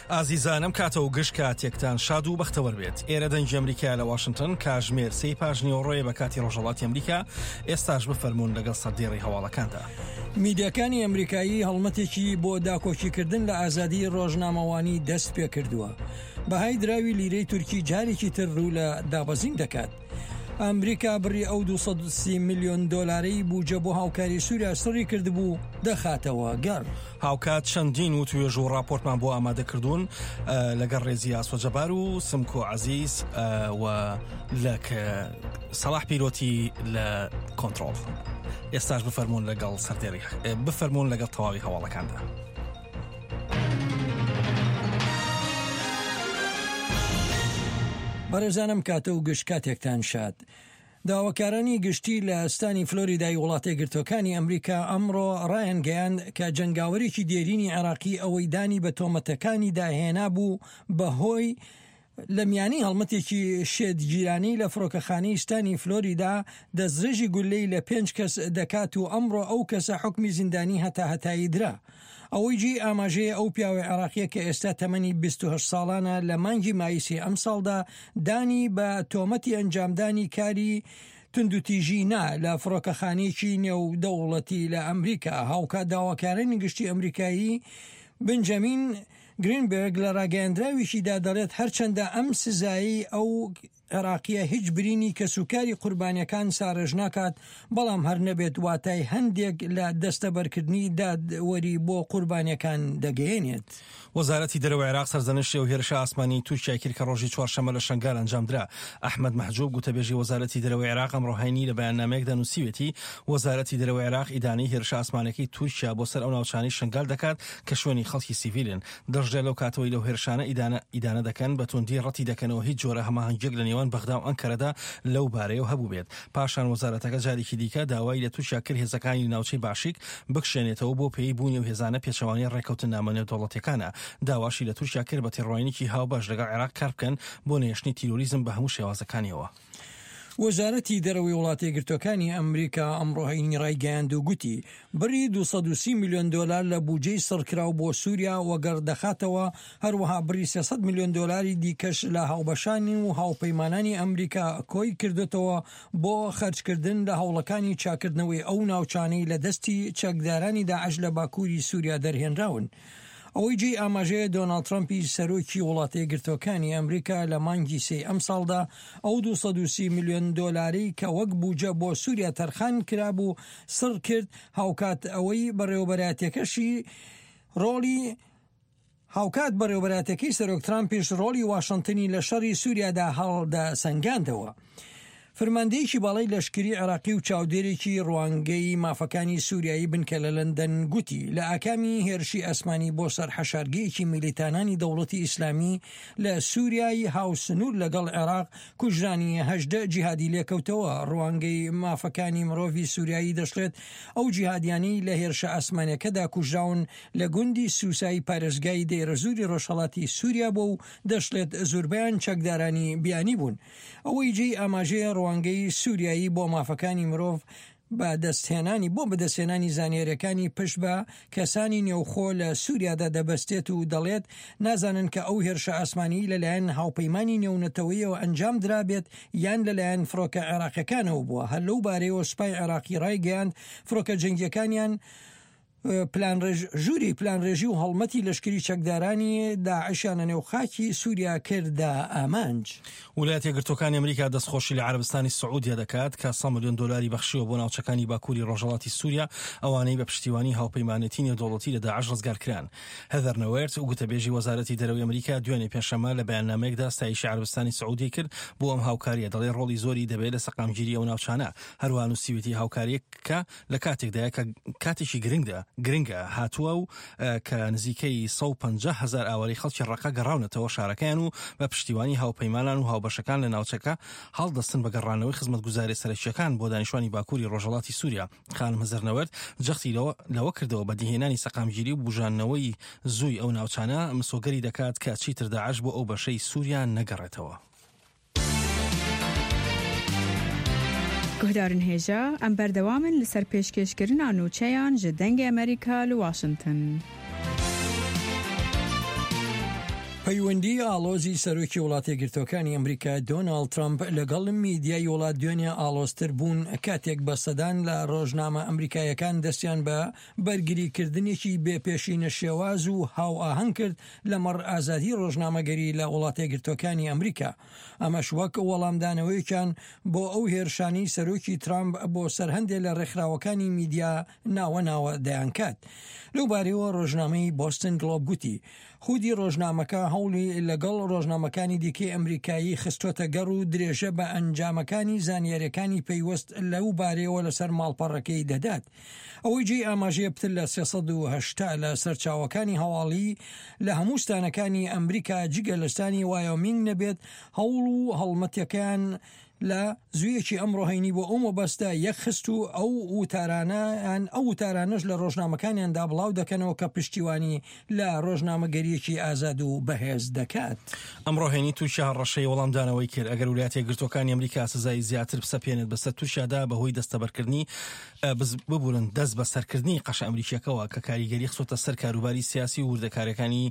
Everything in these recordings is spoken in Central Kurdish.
ئازیزان ئەم کاتە و گشت کاتێکتان شاد و بەختەوەر بێت. ئێرە دەنگی ئەمریکایە لە واشنتن، کاژمێر سێی پاش نیوەڕۆیە بە کاتی ڕۆژهەڵاتی ئەمریکا. ئێستاش بفەرموون لەگەڵ سەردێڕی هەواڵەکاندا. میدیاکانی ئەمریکایی هەڵمەتێکی بۆ داکۆکیکردن لە ئازادیی ڕۆژنامەوانی دەست پێکردووە. بەهای دراوی لیرەی تورکی جارێکی تر ڕوو لە دابەزین دەکات. ئەمریکا بڕی ئەو 230 ملیۆن دۆلارەی بوجە بۆ هاوکاری سووریا سڕی کردبوو دەخاتەوە گەڕ. هاوکات چەندین وتوێژ و ڕاپۆرتمان بۆ ئامادە کردوون لەگەڵ ڕێزی ئاسۆ جەبار و سمکۆ عەزیز و لە سەڵاح پیرۆتی لە کۆنترۆڵ. ئێستاش بفەرمونون لەگەڵ سەردێڕی بفەرمونون لەگەڵ تەواوی هەواڵەکاندا. بەڕێزانم کاتە و گشت کاتێکتان شاد. داواکارانی گشتی لە ستانی فلۆریدای وڵاتەیەکگرتووەکانی ئەمریکا ئەمڕۆ ڕایانگەیاند کە جەنگاوەرێکی دێرینی عێراقی ئەوەی دانی بە تۆمەتەکانیدا هێنابوو بەهۆی لە میانی هەڵمەتێکی شێتگیرانەی لە فڕۆکەخانەی ستانی فلۆریدا دەستڕێژی گوللەی لە پێنج کەس دەکات و ئەمڕۆ ئەو کەسە حوکمی زیندانی هەتاهەتایی درا. ئەوەی جێی ئاماژەیە ئەو پیاوە عێراقیە کە ئێستا تەمەنی 28 ساڵانە لە مانگی مایسی ئەمساڵدا دانی بە تۆمەتی ئەنجامدانی کاری توندوتیژی نا لە فڕۆکەخانەیەکی نێودەوڵەتی لە ئەمریکا هاوکات داواکارانی گشتی ئەمریکایی بنجامین گرینبێرگ لە ڕاگەیەندراوێکیدا دەڵێت هەرچەندە ئەم سزایەی ئەو عێراقییە هیچ برینی کەسوکاری قوربانیەکان ساڕێژ ناکات، بەڵام هەر نەبێت واتای هەندێک لە دەستەبەرکردنی دادوەری بۆ قوربانیەکان دەگەیەنێت. وەزارەتی دەرەوەی عێراق سەرزەنشتی ئەو هێرشە ئاسمانیی تورکیای کرد کە ڕۆژی چوارشەممە لە شەنگال ئەنجامدرا. ئەحمەد مەحجوب، گوتەبێژی وەزارەتی دەرەوەی عێراق ئەمڕۆ هەینی لە بەیاننامەیەکدا نووسیویەتی، وەزارەتی دەرەوەی عێراق ئیدانەی هێرشە ئاسمانییەکەی تورکیا بۆ سەر ئەو ناوچانەی شەنگال دەکات کە شوێنی خەڵکی سیڤیلن. دەشڵێت لەو کاتەوەی لەو هێرشانە ئیدانە ئیدانە دەکەن، بە توندی ڕەتی دەکەنەوە هیچ جۆرە هەماهەنگییەک لە نێوان بەغدا و ئەنکەرەدا لەو بارەیەوە هەبووبێت. پاشان وەزارەتەکە جارێکی دیکە داوای لە تورکیا کرد هێزەکانی لە ناوچەی باشیک بکشێنێتەوە بۆ پێی بوونی ئەو هێزانە پێچەوانەی ڕێککەوتننامە نێودەوڵەتییەکانە. داواشی لە تورکیا کرد بە تێڕوانینێکی هاوبەش لەگەڵ عێراق کاربکەن بۆ نەهێشتنی تیرۆریزم بە هەموو شێوازەکانیەوە. وەزارەتی دەرەوەی وڵاتەیەکگرتووەکانی ئەمریکا ئەمڕۆ هەینی ڕایگەیاند و گوتی، بڕی 230 ملیۆن دۆلار لە بوجەی سڕکراو بۆ سووریا وەگەڕ دەخاتەوە، هەروەها بڕی 300 ملیۆن دۆلاری دیکەش لە هاوبەشانی و هاوپەیمانانی ئەمریکا کۆی کردۆتەوە بۆ خەرجکردن لە هەوڵەکانی چاککردنەوەی ئەو ناوچانەی لە دەستی چەکدارانی داعش لە باکووری سووریا دەرهێنراون. ئەوەی جێی ئاماژەیە دۆناڵد ترەمپی سەرۆکی وڵاتەیەکگرتووەکانی ئەمریکا لە مانگی سێی ئەمساڵدا ئەو 230 ملیۆن دۆلارەی کە وەک بوجە بۆ سوریا تەرخان کرابوو سڕ کرد هاوکات ئەوەی بەڕێوەبەرایەتیەکەشی ڕۆڵی هاوکات بەڕێوەبەرایەتیەکەی سەرۆک ترامپیش ڕۆڵی واشنتنی لە شەڕی سوریادا هەڵدەسەنگاندەوە. فرماندەیەکی باڵای لەشکری عێراقی و چاودێرێکی ڕوانگەی مافەکانی سوریایی بنکە لە لەندەن گوتی لە ئاکامی هێرشی ئاسمانی بۆ سەر حەشارگەیەکی میلیتانانی دەوڵەتی ئیسلامی لە سوریای هاوسنوور لەگەڵ عێراق کوژرانی 18 جیهادی لێکەوتەوە ڕوانگەی مافەکانی مرۆڤی سوریایی دەشڵێت ئەو جیهادیانەی لە هێرشە ئاسمانیەکەدا کوژراون لە گوندی سوسای پارێزگای دەیرەزوری ڕۆژهەڵاتی سوریا بووە و دەشڵێت زوربەیان چەکدارانی بیانی بوون. ئەوەی جێی ئاماژەیە ڕوانگەی سوریایی بۆ مافەکانی مرۆڤ بە دەستهێنانی بۆ بەدەستهێنانی زانیاریەکانی پشت بە کەسانی نێوخۆ لە سوریادا دەبەستێت و دەڵێت نازانن کە ئەو هێرشە ئاسمانیی لەلایەن هاوپەیمانی نێونەتەوەیەوە ئەنجام درابێت یان لەلایەن فڕۆکە عێراقیەکانەوە بووە هەر لەو بارەیەوە سوپای عێراقی ڕایگەیاند فڕۆکە جەنگیەکانیان ژووری پلانڕێژی و هەڵمەتی لەشکری چەکدارانی داعشیان لە نێو خاکی سووریا کردە ئامانج. ولایەتە یەکگرتووەکانی ئەمریکا دەستخۆشی لە عەرەبستانی سعودیە دەکات کە 100 ملیۆن دۆلاری بەخشیوە بۆ ناوچەکانی باکووری ڕۆژهەڵاتی سووریا ئەوانەی بە پشتیوانی هاوپەیمانێتی نێودەوڵەتی لە داعش ڕزگارکران. هێذەر نۆوێرت گوتەبێژی وەزارەتی دەرەوەی ئەمریکا دوێنێ پێنجشەممە لە بەیاننامەیەکدا ستایشی عەرەبستانی سعودیەی کرد بۆ ئەم هاوکارییە دەڵێ ڕۆڵی زۆری دەبێت لە سەقامگیری ئەو ناوچانە هەروەها نووسیویەتی هاوکارییەکە لە کاتێکدایە کە کاتێکی گرنگدا گرنگە هاتووە و کە نزیکەی 150 هەزار ئاوارەی خەڵکی ڕەقە گەڕاونەتەوە شارەکەیان و بە پشتیوانی هاوپەیمانان و هاوبەشەکان لە ناوچەکە هەڵدەستن بە گەڕانەوەی خزمەتگوزاریە سەرەکییەکان بۆ دانیشتوانی باکووری ڕۆژهەڵاتی سووریا. خانم هزرنەوەرد جەختی لەوە لەوە کردەوە بەدیهێنانی سەقامگیری و بوژاندنەوەی زووی ئەو ناوچانە مسۆگەری دەکات کە چیتر داعش بۆ ئەو بەشەی سووریا نەگەڕێتەوە. Guhdarên hêja, em berdewam in li ser pêşkêşkirina nûçeyan ji Dengê Amerîka li Washington. پەیوەندیی ئاڵۆزی سەرۆکی وڵاتەیەکگرتووەکانی ئەمریکا دۆناڵد ترەمپ لەگەڵ میدیای وڵات دوێنێ ئاڵۆزتر بوون کاتێک بە سەدان لە ڕۆژنامە ئەمریکاییەکان دەستیان بە بەرگریکردنێکی بێ پێشینە شێواز و هاوئاهەنگ کرد لەمەڕ ئازادی ڕۆژنامەگەری لە وڵاتەیەکگرتووەکانی ئەمریکا ئەمەش وەک وەڵامدانەوەیەکیان بۆ ئەو هێرشانەی سەرۆکی ترامپ بۆ سەر هەندێ لە ڕێکخراوەکانی میدیا ناوە ناوە دەیانکات. لەو بارەیەوە ڕۆژنامەی بۆستن گڵۆب گوتی، خودی ڕۆژنامەکە هەوڵی لەگەڵ ڕۆژنامەکانی دیکەی ئەمریکایی خستۆتە گەڕ و درێژە بە ئەنجامەکانی زانیاریەکانی پەیوەست لەو بارەیەوە لەسەر ماڵپەڕەکەی دەدات. ئەوەی جێی ئاماژەیە پتر لە 380 لە سەرچاوەکانی هەواڵی لە هەموو ستانەکانی ئەمریکا جگە لە ستانی وایۆمینگ نەبێت هەوڵ و هەڵمەتەکەیان لە زوویەکی ئەمڕۆ هەینی بۆ ئەو مەبەستە یەکخست و ئەو وتارانە یان ئەو وتارانەش لە ڕۆژنامەکانیاندا بڵاو دەکەنەوە کە پشتیوانی لە ڕۆژنامەگەرییەکی ئازاد و بەهێز دەکات. ئەمڕۆ هەینی تورکیا هەڕەشەی وەڵامدانەوەی کرد ئەگەر ولایەتە یەکگرتووەکانی ئەمریکا سزای زیاتر بسەپێنێت بەسەر تورکیادا بەهۆی دەستەبەرکردنی ببورن دەست بەسەرکردنی قەشە ئەمریکیەکەوە کە کاریگەری خستۆتە سەر کاروباری سیاسی و وردەکاریەکانی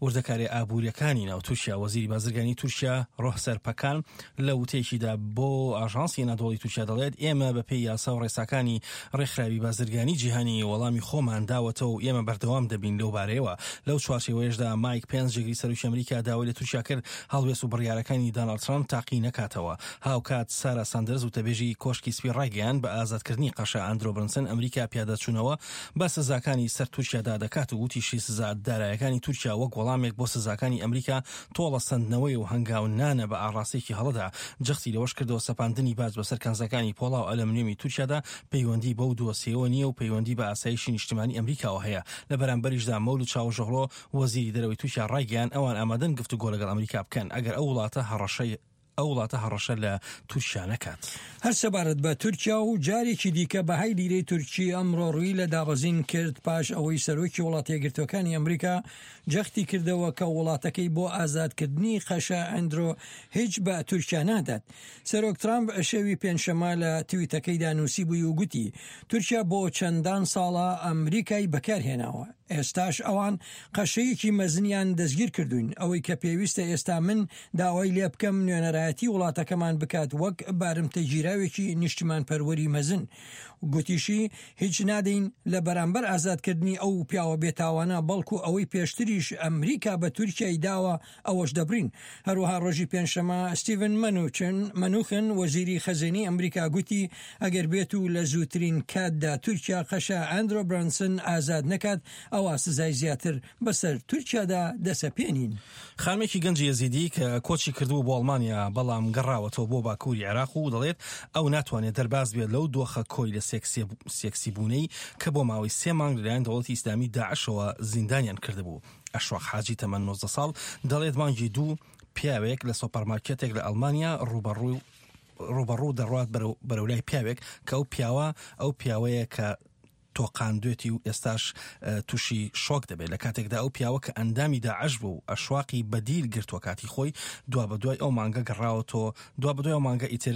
وردەکاریە ئابووریەکانی ناو تورکیا. وەزیری بازرگانی تورکیا ڕۆهسەر پەکان لە وتەیەکیدا بۆ ئاژانسی ئەنادۆڵی تورکیا دەڵێت ئێمە بەپێی یاسا و ڕێساکانی ڕێکخراوی بازرگانی جیهانی وەڵامی خۆمان داوەتەوە و ئێمە بەردەوام دەبین لەو بارەیەوە. لەو چوارچێوەیەشدا مایک پێنس جێگری سەرۆکی ئەمریکا داوای لە تورکیا کرد هەڵوێست و بڕیارەکانی داناڵد ترامپ تاقی نەکاتەوە. هاوکات سارا ساندەرز وتەبێژی کۆشکی سپی ڕایگەیاند بە ئازادکردنی قەشە ئەندرۆ برنسن ئەمریکا پیادەچوونەوە بە سزاکانی سەر تورکیادا دەکات و وتیشی سزا دارایەکانی تورکیا وەک وەڵامێک بۆ سزاکانی ئەمریکا تۆڵە سەندنەوەی و هەنگاونانە بە ئاڕاستەیەکی هەڵەدا. جەختی لەوەش کردەوە سەپاندنی باج بەسەر کانزاکانی پۆڵا و ئەلەمنیۆمی تورکیادا پەیوەندی بەو دۆسیەوە نییە و پەیوەندی بە ئاسایشی نیشتمانی ئەمریکاوە هەیە. لە بەرامبەریشدا مەولود چاوشئۆغلۆ وەزیری دەرەوەی تورکیا ڕایگەیاند ئەوان ئامادەن گفتوگۆ لەگەڵ ئەمریکا بکەن ئەگەر ئەو وڵاتە هەڕەشەی ئەو وڵاتە هەڕەشە لە تورکیا نەکات. هەر سەبارەت بە تورکیا و جارێکی دیکە بەهای لیرەی تورکی ئەمڕۆ ڕووی لە دابەزین کرد پاش ئەوەی سەرۆکی وڵاتەیەکگرتووەکانی ئەمریکا جەختی کردەوە کە وڵاتەکەی بۆ ئازادکردنی قەشە ئەندرۆ هیچ بە تورکیا نادات. سەرۆک ترامپ شەوی پێنجشەممە لە تویتەکەیدا نووسیبووی و گوتی تورکیا بۆ چەندان ساڵە ئەمریکای بەکارهێناوە، ئێستاش ئەوان قەشەیەکی مەزنیان دەستگیر کردووین، ئەوەی کە پێویستە ئێستا من داوای لێبکەم نوێنەرایەتی وڵاتەکەمان بکات وەک بارمتەگیراوێکی نیشتیمانپەروەری مەزن. گوتیشی، هیچ نادەین لە بەرامبەر ئازادکردنی ئەو پیاوە بێتاوانە، بەڵکو ئەوەی پێشتریش ئەمریکا بە تورکیای داوە ئەوەش دەبڕین. هەروەها ڕۆژی پێنجشەممە ستیڤن مەنوچن مەنوخن وەزیری خەزێنەی ئەمریکا گوتی ئەگەر بێت و لە زووترین کاتدا تورکیا قەشە ئەندرۆ برانسن ئازاد نەکات ئەوا سزای زیاتر بەسەر تورکیادا دەسەپێنین. خانمێکی گەنجی یەزیدی کە کۆچی کردبوو بۆ ئەڵمانیا بەڵام گەڕاوەتەوە بۆ باکووری عێراق و دەڵێت ئەو ناتوانێت دەرباز بێت لەو دۆخە کۆیلە سێکسیبوونەی کە بۆ ماوەی سێ مانگ لەلایەن دەوڵەتی ئیسلامی داعشەوە زیندانیان کردبوو. ئەشواق حاجی تەمەن 19 ساڵ دەڵێت مانگی دوو پیاوێک لە سۆپەرمارکێتێک لە ئەڵمانیا ڕووبەڕوو ڕووبەڕوو دەڕوات بەرەو لای پیاوێک کە ئەو پیاوە ئەو پیاوەیە کە تۆقاندوێتی و ئێستاش تووشی شۆک دەبێت لە کاتێکدا ئەو پیاوە کە ئەندامی داعش بوو ئەشواقی بەدیل گرتووە کاتی خۆی دوا بەدوای ئەو مانگە گەڕاوەتەوە دوا بەدوای ئەو مانگە ئیتر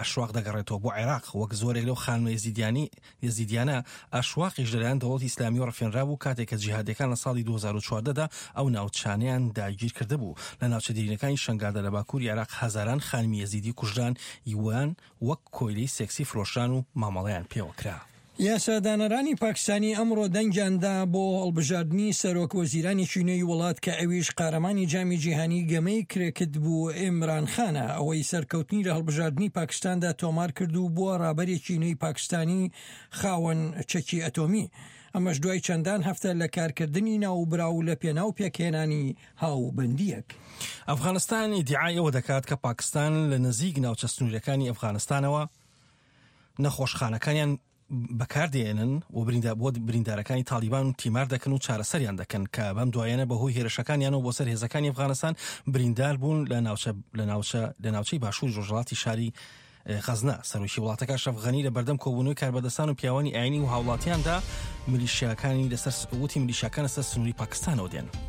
ئەشواق دەگەڕێتەوە بۆ عێراق وەک زۆرێک لەو خانمە یەزیدیانی یەزیدیانە ئەشواقیش لەلایەن دەوڵەتی ئیسلامیەوە ڕفێنرابوو کاتێک کە جیهادیەکان لە ساڵی 2014 دا ئەو ناوچانەیان داگیر کردبوو لە ناوچە دیرینەکانی شەنگالدا لە باکووری عێراق هەزاران خانمی یەزیدی کوژران یوان وەک کۆیلەی سێکسی فرۆشران و مامەڵەیان پێوە کرا. یاسادانەرانی پاکستانی ئەمڕۆ دەنگیان دا بۆ هەڵبژاردنی سەرۆک وەزیرانێکی نوێی وڵات کە ئەویش قارەمانی جامی جیهانی گەمەی کرێکت بوو ئیمران خانە ئەوەی سەرکەوتنی لە هەڵبژاردنی پاکستاندا تۆمار کرد و بووە ڕابەرێکی نوێی پاکستانی خاوەن چەکی ئەتۆمی ئەمەش دوای چەندان هەفتە لە کارکردنی ناوبراو لە پێناو پێکهێنانی هاوبەندییەک. ئەفغانستان ئیدیعای ئەوە دەکات کە پاکستان لە نزیک ناوچە سنووریەکانی ئەفغانستانەوە نەخۆشخانەکانیان بەکاردێنن و بۆ بریندارەکانی تاڵیبان و تیمار دەکەن و چارەسەریان دەکەن کە بەم دوایەنە بەهۆی هێرشەکانیانەوە بۆ سەر هێزەکانی ئەفغانستان بریندار بوون لە ناوچە لە ناوچە لە ناوچەی باشووری ڕۆژهەڵاتی شاری غەزنە. سەرۆکی وڵاتەکە ئەشرەف غەنی لە بەردەم کۆبوونەوەی کاربەدەستان و پیاوانی ئاینی و هاوڵاتیاندا میلیشیاکانی لەسەر وتی میلیشیاکان لەسەر سنووری پاکستانەوە دێن.